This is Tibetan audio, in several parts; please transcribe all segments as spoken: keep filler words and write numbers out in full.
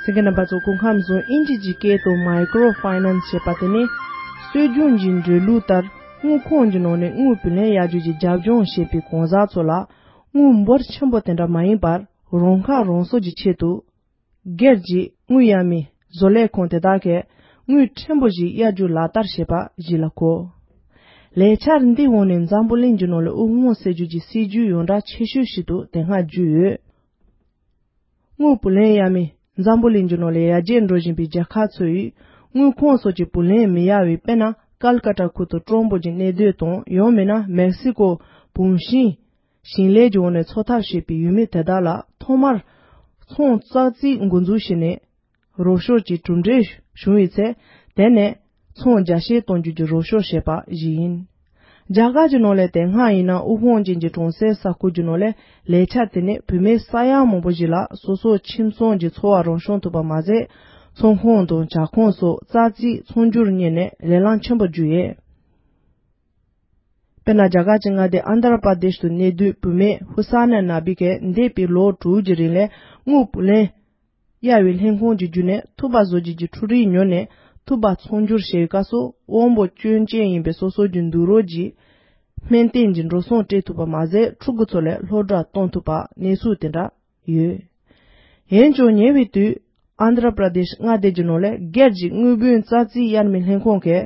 གསན་མཁན་རྣམ་པ་ཚོ་སྐུ་ཁམས་བཟང་། ཨིན་ཇི་གི་སྐད་དུ་Micro Finance ཞེས་པ་དེ་ནི་སྲོལ་རྒྱུན་གྱི་འགྲོ་ལུགས་ལྟར་དངུལ་ཁང་གི་ནང་ནས་དངུལ་བུན་ལེན་གཡར་རྒྱུ་གྱི་རྒྱབ་ལྗོངས་བྱེད་པའི་གང་ཟག་ཚོ་ལ་དངུལ་འབོར་ཆེན་པོ་དེ་འདྲ་མ་ཡིན་པར་རང་ཁ་རང་གསོ་གྱི་ཆེད་དུ། སྒེར་གྱི་དངུལ་གཡར་མི་བཟོ་ལས་ཁང་དེ་དག་གིས་དངུལ་ཕྲན་བུ་ཞིག་གཡར་རྒྱུ་ལག་བསྟར་བྱེད་པ་ཞིག་ལ་གོ། ལས་འཆར་འདིའི་འོག་ནས་འཛམ་བུ་གླིང་གི་ནང་ལ་དབུལ་ཕོངས་སེལ་རྒྱུ་གྱི་སྲིད་ཇུས་ཡོངས་གྲགས་ཆེ་ཤོས་ཤིག་ཏུ་དེ་སྔ་བརྗོད་ཡོད། དངུལ་བུ་ལེན་གཡར་མི་འཛམ་བུ་གླིང་གི་ནང་ལ་ཡར་རྒྱས་འགྲོ་བཞིན་པའི་རྒྱལ་ཁབ་ཚོ་ཡིས་དངུལ་ཁང་སོགས་ཀྱི་བུ་ལེན་མི་གཡར་བའི་དཔེར་ན་ཀལ་ཀ་ཏ་ཁུལ་དུ་དྲོན་པོ་གྱི་གནས་སྡོད་དང་ཡང་མིན་ན་མེག་སི་ཀོ་བུམ་ཤིང་ཞིང་ལས་ཀྱི་འོག་ནས་འཚོ་ཐབས་བྱེད་པའི་ཡུལ་མི་དེ་དག་ལ་ཐོག་མར་ཚོང་ཙག་ཙིག་འགོ་འཛུགས་བྱས་ནས་རོགས་སྐྱོར་གྱི་གྲུབ་འབྲས་བྱུང་བའི་ཚེ་དེ་ནས་ཚོང་རྒྱ་སྐྱེད་གཏོང་རྒྱུ་གྱི་རོགས་སྐྱོར་བྱས་པ་ཞིག་ཡིན། རྒྱ་གར་གྱི་ནང་ལ་དེ་སྔ་ཡིན་ན་དབུལ་ཕོངས་ཅན་གྱི་གྲོང་གསེབ་ས་ཁུལ་གྱི་ནང་ལ་ལས་འཆར་དེ་ནི་བུད་མེད་ས་ཡ་མང་པོ་ཞིག་ལ་སོ་སོ་ཁྱིམ་ཚང་གི་འཚོ་བ་རང་སྐྱོང་ཐུབ་པ་མ་ཟད། ཚོང་ཁང་དང་ཇ་ཁང་སོགས་ཙག་ཙིག་ཚོང་སྒྱུར་གཉེར་ནས་ལས་ལམ་ཆེན་པོ་བརྒྱུད་ཡོད། དཔེར་ན་རྒྱ་གར་གྱི་མངའ་སྡེ་ཨན་དྷ་ར་པར་དེཤ་དུ་གནས་སྡོད་བུད་མེད་ཧུ་ས་ན་ན་བི་ཀས་འདས་པའི་ལོ་དྲུག་གི་རིང་ལ་དངུལ་བུ་ལེན་གཡར་བའི་ལྷན་ཁང་གི་བརྒྱུད་ནས་ཐུག་པ་བཟོ་རྒྱུ་གྱི་འཕྲུལ་རིགས་ཉོས་ནས་ཐུག་པ་ཚོང་སྒྱུར་བྱས་པའི་སྐབས་སུ་དབང་པོ་སྐྱོན་ཅན་ཡིན་པའི་སོ་སོ་གྱི་འདུག་རོགས་ཀྱི་སྨན་བསྟེན་གྱི་འགྲོ་སོང་སྤྲད་ཐུབ་པ་མ་ཟད་ཕྲུ་གུ་ཚོ་ལ་སློབ་གྲྭ་གཏོང་ཐུབ་པ་གནས་ཚུལ་དེ་འདྲ་ཡོད། འོན་ཀྱང་ཉེ་བའི་དུས་ཨན་དྷ་ར་པར་དེཤ་མངའ་སྡེ་གྱི་ནང་ལ་སྒེར་གྱི་དངུལ་བུན་ཙག་ཙིག་གཡར་མི་ལྷན་ཁང་གིས་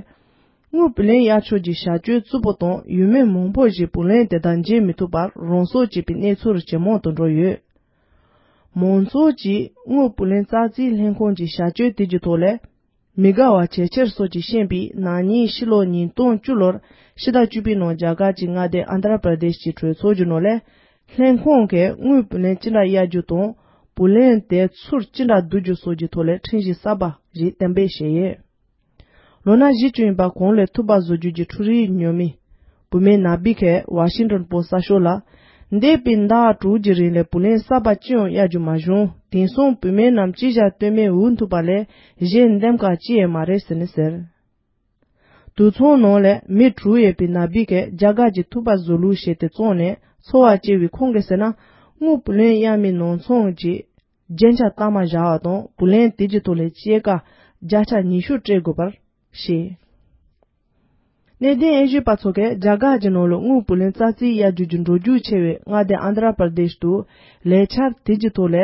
དངུལ་བུ་ལེན་གཡར་ཕྱོགས་ཀྱི་བྱ་སྤྱོད་རྩུབ་པོ་དང་ཡུལ་མི་མང་པོ་ཞིག་བུ་ལོན་དེ་དག་འཇལ་མི་ཐུབ་པར་རང་སྲོག་བཅད་པའི་གནས་ཚུལ་ཇེ་མང་དུ་འགྲོ་ཡོད། མང་ཚོགས་ཀྱིས་དངུལ་བུ་ལེན་ཙག་ཙིག་ལྷན་ཁང་གི་བྱ་སྤྱོད་དེ་གྱི་ཐོག་ལ་མི་དགའ་བ་ཇེ་ཆེར་སོགས་ཀྱིས་ཤེས་པའི་ན་ནིང་ཕྱི་ལོ་ཉིས་སྟོང་བཅུ་ལོར་ཕྱི་ཟླ་བཅུ་པའི་ནང་རྒྱ་གར་གྱི་མངའ་སྡེ་ཨན་དྷ་ར་པར་དེཤ་གྱི་གྲོས་ཚོགས་ཀྱི་ནང་ལ་ལྷན་ཁང་གིས་དངུལ་བུ་ལོན་ཅི་འདྲ་གཡར་རྒྱུ་དང་བུ་ལོན་དེ་ཚུར་ཅི་འདྲ་བསྡུ་རྒྱུ་སོགས་ཀྱི་ཐོག་ལ་ཁྲིམས་གཞི་གསར་པ་ཞིག་གཏན་འབེབས་བྱས་ཡོད། ལོ་ན་བཞི་བཅུ་ཡིན་པ་གོང་ལ་ཐུག་པ་བཟོ་རྒྱུ་གྱི་འཕྲུལ་རིགས་ཉོ་མི་བུད་མེད་ན་བི་ཁས་ཝ་ཤིང་ཏོན་པོ་སི་གསར་ཤོག་ལ། འདས་པའི་ཟླ་དྲུག་གི་རིང་ལ་བུ་ལོན་གསར་པ་ཅི་ཡང་གཡར་རྒྱུ་མ་བྱུང་། དེང་སང་བུད་མེད་རྣམས་ཅི་བྱ་གཏོལ་མེད་འུ་ཐུག་པ་ལས་གཞན་འདེམས་ཀ་ཅི་ཡང་མ་རེད་ཟེར་ནས་ཟེར། དུད་ཚང་ནང་ལ་མི་དྲུག་ཡོད་པའི་ན་བི་ཁས་རྒྱ་གར་གྱི་ཐུག་པ་བཟོ་ལུགས་བྱས་ཏེ་བཙོངས་ནས་འཚོ་བ་སྐྱེལ་བའི་ཁོང་གིས་ཟེར་ན། དངུལ་བུ་ལོན་གཡར་མི་ནང་ཚང་གི་རྒྱན་ཆ་གཏའ་མ་བཞག་པ་དང་བུ་ལོན་དེ་གྱི་ཐོག་ལ་སྐྱེད་ཀ་བརྒྱ་ཆ་ཉི་ཤུ་སྤྲད་དགོས་པར་བཤད། གནད་དོན་དབྱེ་ཞིབ་པ་ཚོ་གས་རྒྱ་གར་གྱི་ནང་ལ་དངུལ་བུ་ལོན་ཙག་ཙིག་གཡར་རྒྱུ་གྱི་འགྲོ་རྒྱུག་ཆེ་བའི་མངའ་སྡེ་ཨན་དྷ་ར་པར་དེཤ་དུ་ལས་འཆར་དེ་གྱི་ཐོག་ལ་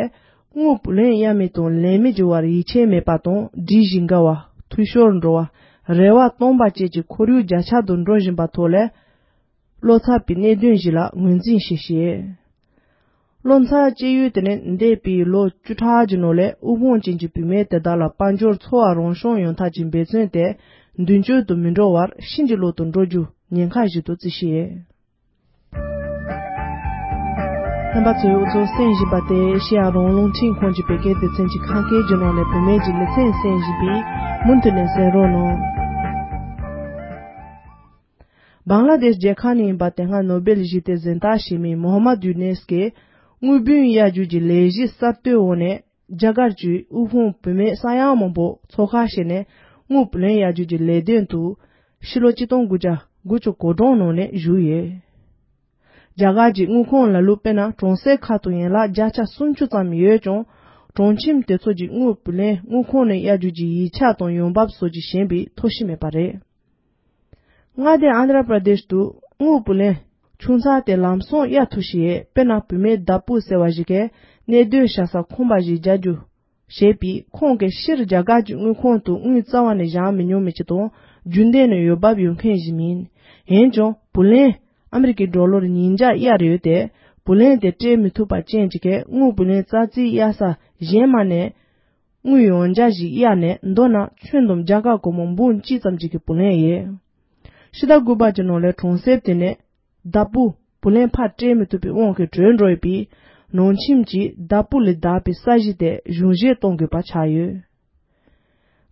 དངུལ་བུ་ལོན་གཡར་མི་དང་ལེན་མི་གྱི་བར་ཡིད་ཆེས་མེད་པ་དང་སྒྲིག་གཞི་འགལ་བ། འཐུས་ཤོར་འགྲོ་བ། རེ་བ་སྟོང་པ་བཅས་ཀྱི་ཁོར་ཡུག་རྒྱ་ཆག་ཏུ་འགྲོ་བཞིན་པ་ཐོག་ལ། བློ་འཚབ་པའི་གནད་དོན་ཞིག་ལ་ངོས་འཛིན་ཞིག་བྱས། བློ་འཚབ་སྐྱེ་ཡུལ་དེ་ནི་འདས་པའི་ལོ་བཅུ་ཕྲག་གི་ནང་ལ་དབུལ་ཕོངས་ཅན་གྱི་བུད་མེད་དེ་དག་ལ་དཔལ་འབྱོར་འཚོ་བ་རང་སྐྱོང་ཡོང་ཐབས་ཀྱི་འབད་བརྩོན་དེ་མདུན་སྐྱོད་དུ་མི་འགྲོ་བར་ཕྱིན་ཅི་ལོག་ཏུ་འགྲོ་རྒྱུ་ཉེན་ཁ་ཞིག་ཏུ་བརྩི་ཞིང་། རྣམ་པ་ཚོས་འུ་ཚོ་གསན་བཞིན་པ་དེ་ཨེ་ཤེ་ཡ་རང་དབང་རླུང་འཕྲིན་ཁང་གི་བོད་སྐད་སྡེ་ཚན་གྱི་ཁམས་སྐད་ཀྱི་ནང་ནས་བུད་མེད་ཀྱི་ལེ་ཚན་གསན་བཞིན་པས་མུ་མཐུད་ནས་གསན་རོགས་གནང་། བང་ལ་དེཤ་རྒྱལ་ཁབ་ནས་ཡིན་པ་དེ་སྔ་ནོ་སྦེལ་ཞི་བདེ་གཟེངས་རྟགས་བཞེས་མི་མོ་ཧ་མད་ཡུ་ནེས་ཀྱིས་དངུལ་བུན་གཡར་རྒྱུ་གྱི་ལས་གཞི་གསར་གཏོད་འོག་ནས་རྒྱ་གར་གྱི་དབུལ་ཕོངས་བུད་མེད་ས་ཡ་མང་པོ་ཚོགས་ཁག་བྱས་ནས་དངུལ་བུ་ལོན་གཡར་རྒྱུ་གྱི་ལས་དོན་དུ་ཕྱི་ལོ་གཅིག་སྟོང་དགུ་བརྒྱ་དགུ་བཅུ་གོ་གྲངས་ནང་ནས་ཞུགས་ཡོད། རྒྱ་གར་གྱི་དངུལ་ཁང་ལ་ལུ་དཔེར་ན་གྲོང་གསེབ་ཁག་ཏུ་ཡན་ལག་བརྒྱ་ཆ་སུམ་ཅུ་ཙམ་ཡོད་ཀྱང་གྲོང་ཁྱིམ་དེ་ཚོ་གྱི་དངུལ་བུ་ལོན་དངུལ་ཁང་ནས་གཡར་རྒྱུ་གྱི་ཡིག་ཆ་དང་ཡོང་འབབ་སོགས་ཀྱི་ཞན་པའི་ཐོ་གཞི་མེད་པ་རེད། མངའ་སྡེ་ཨན་དྷ་ར་པྲ་དེཤ་དུ་དངུལ་བུ་ལོན་ཆུང་ཙག་དེ་ལམ་སང་གཡར་ཐུབ་ཤེས། དཔེར་ན་བུད་མེད་བདག་པོ་ཟེར་བ་ཞིག་གིས་གནས་སྡོད་བྱ་ས་ཁང་པ་ཞིག་རྒྱག་རྒྱུ་བྱས་པས་ཁོང་གིས་སྤྱིར་རྒྱ་གར་གྱི་དངུལ་ཁང་དུ་དངུལ་རྩ་བ་ནས་བཞག་མི་མྱོང་མི་ཅིག་དང་རྒྱུན་ལྡན་ནས་འོས་འབབ་ཡོད་མཁན་ཞིག་མིན། འོན་ཀྱང་བུ་ལོན་ཨ་མི་རི་ཀའི་ཌོ་ལར་ཉིས་བརྒྱ་གཡར་ཡོད་དེ། བུ་ལོན་དེ་སྤྲད་མི་ཐུབ་པ་རྐྱེན་གྱིས་དངུལ་བུ་ལོན་ཙག་ཙིག་གཡར་ས་གཞན་མ་ནས། དངུལ་ཡང་བསྐྱར་ཞིག་གཡར་ནས་མདོར་ན་ཁྱོན་བསྡོམས་རྒྱ་གར་སྒོར་མོ་འབུམ་གཅིག་ཙམ་ཅིག་གི་བུ་ལོན་ཡོད། ཕྱི་ཟླ་དགུ་པ་གྱི་ནང་ལ་གྲོང་གསེབ་དེ་ནས་བདག་པོ་བུ་ལོན་ཕར་སྤྲད་མི་ཐུབ་པའི་དབང་གིས་བྲོས་འགྲོ་ཡོད་པས། ནང་ཁྱིམ་གྱིས་བདག་པོ་ལས་བདག་པའི་ས་གཞི་དེ་གཞུང་བཞེས་གཏོང་དགོས་པ་ཆགས་ཡོད།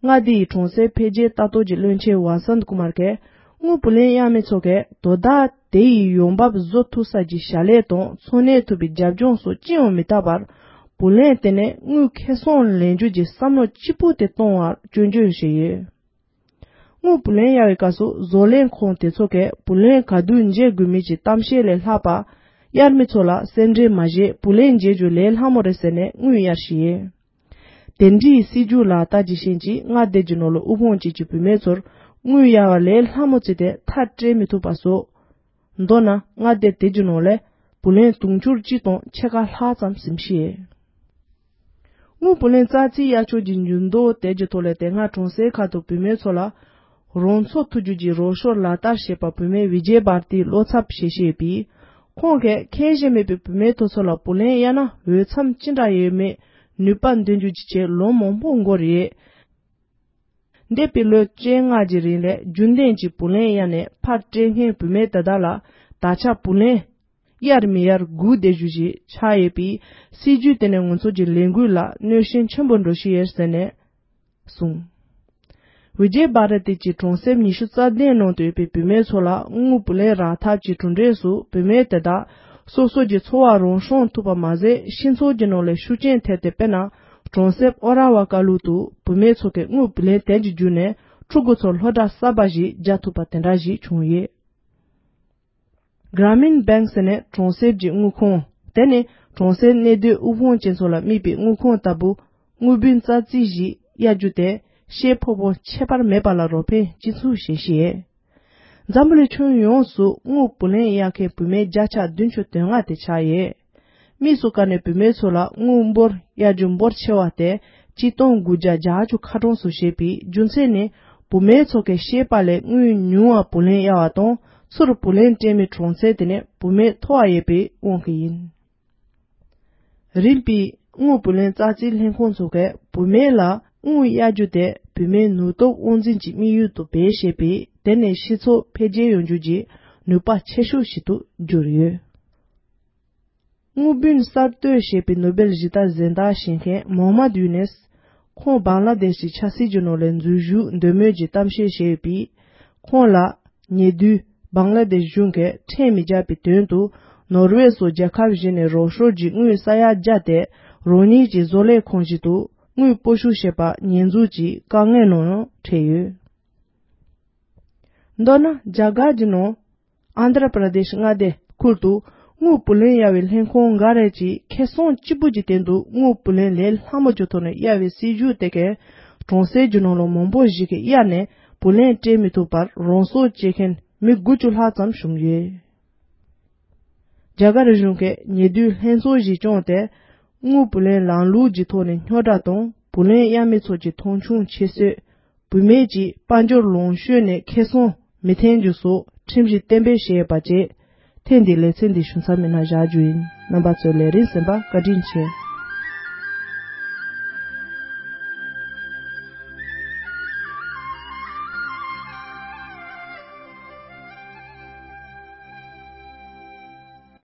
མངའ་སྡེ་ཡི་གྲོང་གསེབ་འཕེལ་རྒྱས་ལྟ་རྟོག་གི་བློན་ཆེན་ཝ་སན་ཀུ་མར་གྱིས་དངུལ་བུ་ལོན་གཡར་མི་ཚོ་གིས་དོ་བདག་དེ་ཡི་ཡོང་འབབ་བཟོ་ཐུབ་ས་ཀྱི་བྱ་ལས་དང་འཚོ་གནས་ཐུབ་པའི་རྒྱབ་ལྗོངས་སོགས་ཅི་ཡང་མི་ལྟ་བར། བུ་ལོན་དེ་ནས་དངུལ་ཁེ་བཟང་ལེན་རྒྱུ་གྱི་བསམ་བློ་གཅིག་པུ་དེ་གཏོང་བར་སྐྱོན་བརྗོད་བྱས་ཡོད། དངུལ་བུ་ལོན་གཡར་བའི་སྐབས་སུ་བཟོ་ལས་ཁང་དེ་ཚོ་གས་བུ་ལོན་ག་དུས་འཇལ་དགོས་མིན་གྱི་གཏམ་བཤད་ལས་ལྷག་པ། གཡར་མི་ཚོ་ལ་སེམས་ཁྲལ་མ་བྱེད་བུ་ལོན་འཇལ་རྒྱུ་ལས་སླ་མོ་རེད་ཟེར་ནས་དངུལ་གཡར་བཞིན་ཡོད། དེ་འདྲའི་སྲིད་ཇུས་ལག་བསྟར་གྱི་རྐྱེན་གྱིས་མངའ་སྡེ་གྱི་ནང་ལ་དབུལ་ཕོངས་ཅན་གྱི་བུད་མེད་ཚོར་དངུལ་གཡར་བ་ལས་སླ་མོ་བྱས་ཏེ་མཐར་སྐྲོད་མི་ཐུབ་པ་སོགས། མདོར་ན་མངའ་སྡེ་དེ་གྱི་ནང་ལ་བུ་ལོན་དུང་ཕྱུར་གཅིག་དང་ཕྱེད་ཀ་ལྷག་ཙམ་ཟིན་ཤེས། དངུལ་བུ་ལོན་ཙག་ཙིག་གཡར་ཕྱོགས་ཀྱི་འགྱུར་ལྡོག་དེ་གྱི་ཐོག་ལ་དེ་སྔ་གྲོང་གསེབ་ཁག་ཏུ་བུད་མེད་ཚོ་ལ་རང་ཚོགས་ཐུགས་རྒྱུད་ཀྱི་རོགས་སྐྱོར་ལག་བསྟར་བྱེད་པ་བུད་མེད་བི་ཇེ་བྷར་ཏིའི་བློ་འཚབ་བྱེད་བཞིན་ཡོད་པས། ཁོང་གིས་ཁེ་ཞེ་མེད་པའི་བུད་མེད་དེ་ཚོ་ལ་བུ་ལོན་གཡར་ན་འོས་འཚམ་ཅི་འདྲ་ཡོད་མེད་ནུས་པ་འདོན་རྒྱུ་གྱི་ཆེད་ལོ་མང་པོ་འགོར་ཡོད། འདས་པའི་ལོ་བཅོ་ལྔ་གྱི་རིང་ལ་རྒྱུན་ལྡན་གྱི་བུ་ལོན་གཡར་ནས་ཕར་སྐྲོད་མཁན་བུད་མེད་དེ་དག་ལ་ད་ཆ་བུ་ལོན་གཡར་མི་གཡར་སྒུག་བསྡད་རྒྱུ་ཞིག་ཆགས་ཡོད་པས། སྲིད་ཇུས་དེ་ནི་ང་ཚོ་གི་ལས་འགུལ་ལ་གནོད་ཤན་ཆེན་པོ་འགྲོ་བཞིན་ཡོད་ཟེར་ནས་གསུངས། བི་ཇེ་བྷ་ར་ཏི་གྱི་གྲོང་གསེབ་ཉི་ཤུ་རྩ་བདུན་ནང་དུ་ཡོད་པའི་བུད་མེད་ཚོ་ལ་དངུལ་བུ་ལོན་རག་ཐབས་ཀྱི་གྲུབ་འབྲས་སུ་བུད་མེད་དེ་དག་སོ་སོ་གྱི་འཚོ་བ་རང་སྲུང་ཐུབ་པ་མ་ཟད། སྤྱི་ཚོགས་ཀྱི་ནང་ལ་ཤུགས་རྐྱེན་ཐེབས་ཏེ། དཔེར་ན་གྲོང་གསེབ་ཨོ་ར་བ་ཀ་ལུ་ཏུ་བུད་མེད་ཚོ་གིས་དངུལ་བུ་ལོན་དེ་གྱི་བརྒྱུད་ནས་ཕྲུ་གུ་ཚོར་སློབ་གྲྭ་གསར་པ་ཞིག་རྒྱག་ཐུབ་པ་དེ་འདྲ་ཞིག་བྱུང་ཡོད། Gramin Bank ཟེར་ནས་གྲོང་གསེབ་ཀྱི་དངུལ་ཁང་། དེ་ནི་གྲོང་གསེབ་གནས་སྡོད་དབུལ་ཕོངས་ཅན་ཚོ་ལ་དམིགས་པའི་དངུལ་ཁང་ལྟ་བུ། དངུལ་བུན་ཙག་ཙིག་ཞིག་གཡར་རྒྱུ་དེ་ཤེད་ཕོ་བོ་ཁྱད་པར་མེད་པ་ལ་རོགས་ཕན་ཅི་མཚུངས་བྱེད་ཤེས། འཛམ་བུ་གླིང་ཁྱོན་ཡོངས་སུ་དངུལ་བུ་ལོན་གཡར་མཁན་བུད་མེད་བརྒྱ་ཆ་བདུན་ཅུ་དོན་ལྔ་དེ་ཆགས་ཡོད། དམིགས་སུ་བཀར་ནས་བུད་མེད་ཚོ་ལ་དངུལ་འབོར་གཡར་རྒྱུ་འབོར་ཆེ་བ་དེ་སྤྱིར་བཏང་དགུ་བརྒྱ་བརྒྱད་ཅུ་ཁ་གྲངས་སུ་བྱེད་པའི་རྒྱུ་མཚན་ནི། བུད་མེད་ཚོ་གིས་ཤེད་པ་ལས་དངུལ་ཉུང་བ་བུ་ལོན་གཡར་བ་དང་། ཚུར་བུ་ལོན་སྤྲད་མི་གྲངས་ཚད་དེ་ནི་བུད་མེད་མཐོ་བ་ཡོད་པའི་དབང་གིས་ཡིན། རིམ་པས་དངུལ་བུ་ལོན་ཙག་ཙིག་ལྷན་ཁང་ཚོ་གིས་བུད་མེད་ལ་དངུལ་གཡར་རྒྱུ་དེ་བུད་མེད་ནུས་སྟོབས་དབང་འཛིན་གྱི་དམིགས་ཡུལ་དུ་བེད་སྤྱད་པས། དེ་ནི་སྤྱི་ཚོགས་འཕེལ་རྒྱས་ཡོང་རྒྱུ་གྱི་ནུས་པ་ཆེ་ཤོས་ཤིག་ཏུ་གྱུར་ཡོད། དངུལ་བུན་གསར་གཏོད་བྱས་པའི་ནོ་སྦེལ་ཞི་བདེ་གཟེངས་རྟགས་བཞེས་མཁན་མོ་ཧམ་མད་ཡུ་ནེས། ཁོང་བང་ལ་དེཤ་གི་ཆབ་སྲིད་ཀྱི་ནང་ལ་འཛུལ་ཞུགས་འདོད་མོས་ཀྱི་གཏམ་བཤད་བྱས་ཡོད་པས། ཁོང་ལ་ཉེ་དུས་བང་ལ་དེཤ་གཞུང་གིས་ཁྲལ་མི་རྒྱག་པའི་དོན་དུ་ནོར་ཝེ་སོགས་རྒྱལ་ཁབ་བཞི་ནས་རོགས་སྐྱོར་གྱི་དངུལ་ས་ཡ་བརྒྱ་དེ་རང་ཉིད་ཀྱི་བཟོ་ལས་ཁང་ཞིག་ཏུ་དངུལ་སྤོ་བཤུད་བྱས་པ་ཉེས་འཛུགས་ཀྱིས་དཀའ་ངལ་ནང་ཡང་འཕྲད་ཡོད། མདོར་ན་རྒྱ་གར་གྱི་ནང་ཨན་དྷྲ་པྲ་དེཤ་མངའ་སྡེ་ཁུལ་དུ་དངུལ་བུ་ལོན་གཡར་བའི་ལྷན་ཁང་འགའ་རེ་གྱིས་ཁེ་བཟང་གཅིག་པུ་གྱི་སྟེང་དུ་དངུལ་བུ་ལོན་ལས་སླ་མོ་གྱི་ཐོག་ནས་གཡར་བའི་སྲིད་ཇུས་དེ་གས་གྲོང་གསེབ་ཀྱི་ནང་ལ་མང་པོ་ཞིག་གིས་གཡར་ནས་བུ་ལོན་སྤྲད་མི་ཐུབ་པར་རང་སྲོག་བཅད་མཁན་མི་དགུ་བཅུ་ལྷག་ཙམ་བྱུང་ཡོད། རྒྱ་གར་གཞུང་གིས་ཉེ་དུས་ལྷན་ཚོགས་ཤིག་བསྐྱངས་ཏེ། དངུལ་བུ་ལོན་ལམ་ལུགས་ཀྱི་ཐོག་ནས་རྙོག་དྲ་དང་བུ་ལོན་གཡར་མི་ཚོ་གྱི་མཐོང་ཆུང་ཁྱད་གསོད། བུད་མེད་ཀྱི་དཔལ་འབྱོར་ལོངས་སྤྱོད་ནས་ཁེ་བཟང་མི་འཐེན་རྒྱུ་སོགས་ཁྲིམས་གཞི་གཏན་འབེབས་བྱས་ཡོད་པ་བཅས། ཐེངས་འདིའི་ལེ་ཚན་འདི་ཞུ་མཚམས་མི་སྣ་བཞག་རྒྱུ་ཡིན། རྣམ་པ་ཚོས་ལས་རིམ་གསན་པར་བཀའ་དྲིན་ཆེ།